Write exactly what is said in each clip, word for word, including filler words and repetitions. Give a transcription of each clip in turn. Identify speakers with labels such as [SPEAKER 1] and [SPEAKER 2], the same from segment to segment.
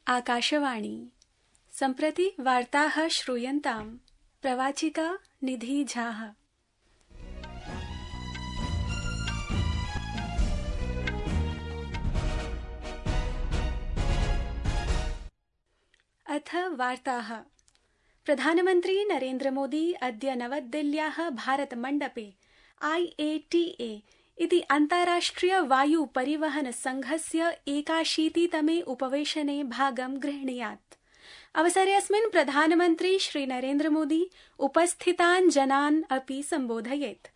[SPEAKER 1] आकाशवाणी सम्प्रति वार्ताः श्रूयन्ताम्। प्रवाचिका निधि झा। अथ वार्ताः। प्रधानमन्त्री नरेन्द्र मोदी अद्य नवदिल्ल्याः भारतमण्डपे आई ए टी ए इति अन्ताराष्ट्रिय वायु परिवहन संघस्य एकाशीतितमे उपवेशने भागं गृह्णीयात्। अवसरेऽस्मिन् प्रधानमन्त्री श्री नरेन्द्र मोदी उपस्थितान् जनान् अपि सम्बोधयेत्।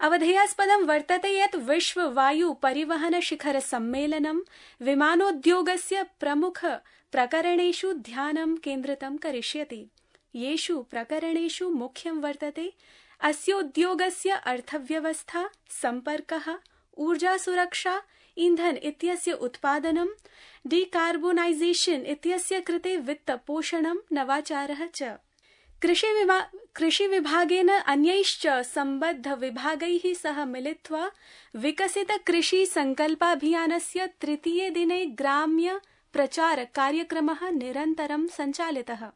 [SPEAKER 1] अवधेयास्पदं वर्तते यत् विश्व वायु परिवहन शिखर सम्मेलनं विमानोद्योगस्य प्रमुख प्रकरणेषु ध्यानं केन्द्रितं करिष्यति। येषु प्रकरणेषु मुख्यं वर्तते अस्योद्योगस्य अर्थव्यवस्था, सम्पर्कः, ऊर्जासुरक्षा, ईंधन इत्यस्य उत्पादनं, डीकार्बोनाइजेशन इत्यस्य कृते वित्तपोषणं, नवाचारः च। कृषि कृषिविभागेन अन्यैश्च सम्बद्ध विभागैः सह मिलित्वा विकसित कृषि संकल्पाभियानस्य तृतीये दिने ग्राम्य प्रचार कार्यक्रमः निरन्तरं सञ्चालितः।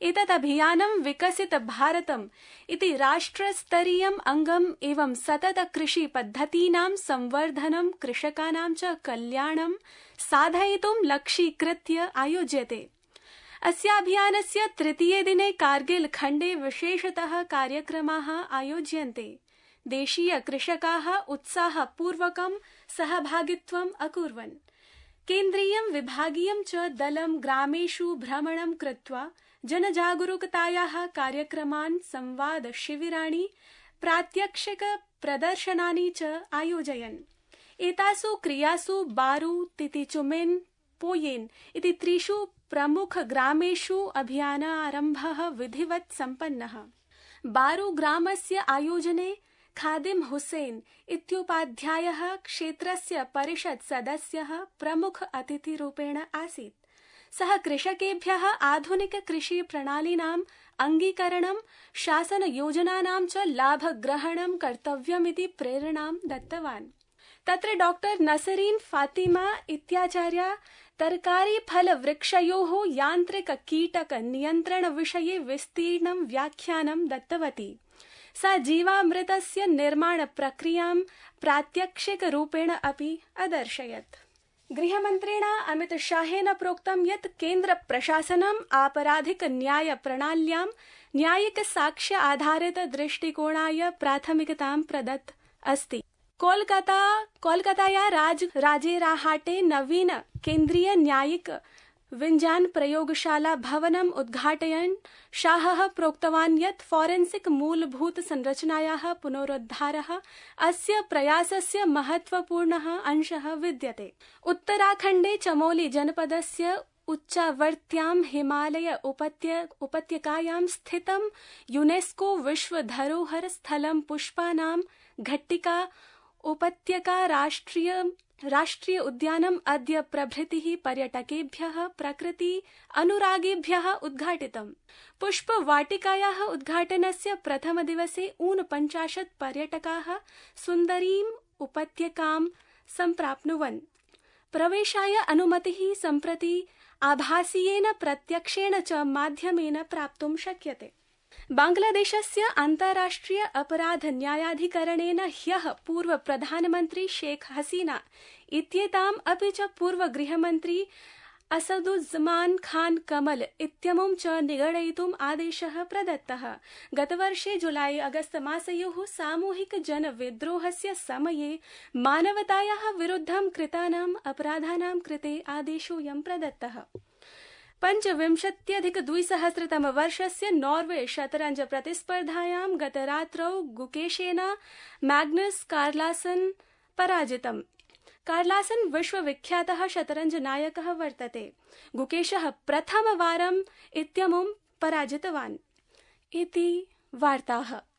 [SPEAKER 1] एतत् अभियानं विकसित भारतम् इति राष्ट्रस्तरीयम् अङ्गम् एवं सतत कृषि पद्धतीनां संवर्धनं, कृषकाणां च कल्याणं साधयितुं लक्ष्यीकृत्य आयोज्यते। अस्याभियानस्य तृतीये दिने कारगिल खण्डे विशेषतः कार्यक्रमाः आयोज्यन्ते। देशीय कृषकाः उत्साहपूर्वकं सहभागित्वम् अकुर्वन्। केन्द्रीयं विभागीयं च दलं ग्रामेषु भ्रमणं कृत्वा जनजागरूकतायाः कार्यक्रमान्, संवाद शिबिराणि, प्रात्यक्षिक प्रदर्शनानि च आयोजयन्। एतासु क्रियासु बारू, तितिचुमिन्, पोयेन् इति त्रिषु प्रमुख ग्रामेषु अभियानारम्भः विधिवत् सम्पन्नः। बारू ग्रामस्य आयोजने खादिम हुसैन इत्योपाध्यायः क्षेत्रस्य परिषत् सदस्यः प्रमुख अतिथिरूपेण आसीत्। सः कृषकेभ्यः आधुनिक कृषि प्रणालीनाम् अङ्गीकरणं, शासन योजनानां च लाभग्रहणं कर्तव्यमिति प्रेरणां दत्तवान्। तत्र डॉक्टर नसरीन फातिमा इत्याचार्या तरकारी फल वृक्षयोः यान्त्रिक कीटक नियन्त्रण विषये विस्तीर्णं व्याख्यानं दत्तवती। सा जीवामृतस्य निर्माण प्रक्रियां प्रात्यक्षिक रूपेण अपि अदर्शयत्। गृहमन्त्रिणा अमित शाहेन प्रोक्तं यत् केन्द्र प्रशासनम् आपराधिक न्याय प्रणाल्यां न्यायिक साक्ष्य आधारित दृष्टिकोणाय प्राथमिकतां प्रदत्त अस्ति। कोलकाता कोलकाताया राज राजेराहाटे नवीन केन्द्रीय न्यायिक विज्ञान प्रयोगशाला भवनम् उद्घाटयन् शाहः प्रोक्तवान् यत् फॉरेंसिक मूलभूत संरचनायाः पुनरुद्धारः अस्य प्रयासस्य महत्वपूर्णः अंशः विद्यते। उत्तराखण्डे चमोली जनपदस्य उच्चावर्त्यां हिमालय उपत्य उपत्यकायां स्थितं यूनेस्को विश्व धरोहर स्थलं पुष्पानां घट्टिका उपत्यका राष्ट्रिय राष्ट्रिय उद्यानम् अद्य प्रभृतिः पर्यटकेभ्यः, प्रकृति अनुरागिभ्यः उद्घाटितम्। पुष्पवाटिकायाः उद्घाटनस्य प्रथमदिवसे ऊनपञ्चाशत् पर्यटकाः सुन्दरीम् उपत्यकां सम्प्राप्नुवन्। प्रवेशाय अनुमतिः सम्प्रति आभासीयेन प्रत्यक्षेण च माध्यमेन प्राप्तुं शक्यते। बांग्लादेशस्य अन्ताराष्ट्रिय अपराध न्यायाधिकरणेन ह्यः पूर्व प्रधानमन्त्री शेख हसीना इत्येताम् अपि च पूर्व गृहमन्त्री असदुज्जमान खान कमल इत्यमुं च निगडयितुम् आदेशः प्रदत्तः। गतवर्षे जुलाई अगस्त मासयोः सामूहिक जनविद्रोहस्य समये मानवतायाः विरुद्धं कृतानाम् अपराधानां कृते आदेशोऽयं प्रदत्तः। पञ्चविंशत्यधिक द्विसहस्रतम वर्षस्य नॉर्वे शतरंज प्रतिस्पर्धायां गतरात्रौ गुकेशेन मैग्नस कार्लसन पराजितम्। कार्लसन विश्वविख्यातः शतरंज नायकः वर्तते। गुकेशः प्रथमवारम् इत्यमुं पराजितवान्। इति वार्ताः।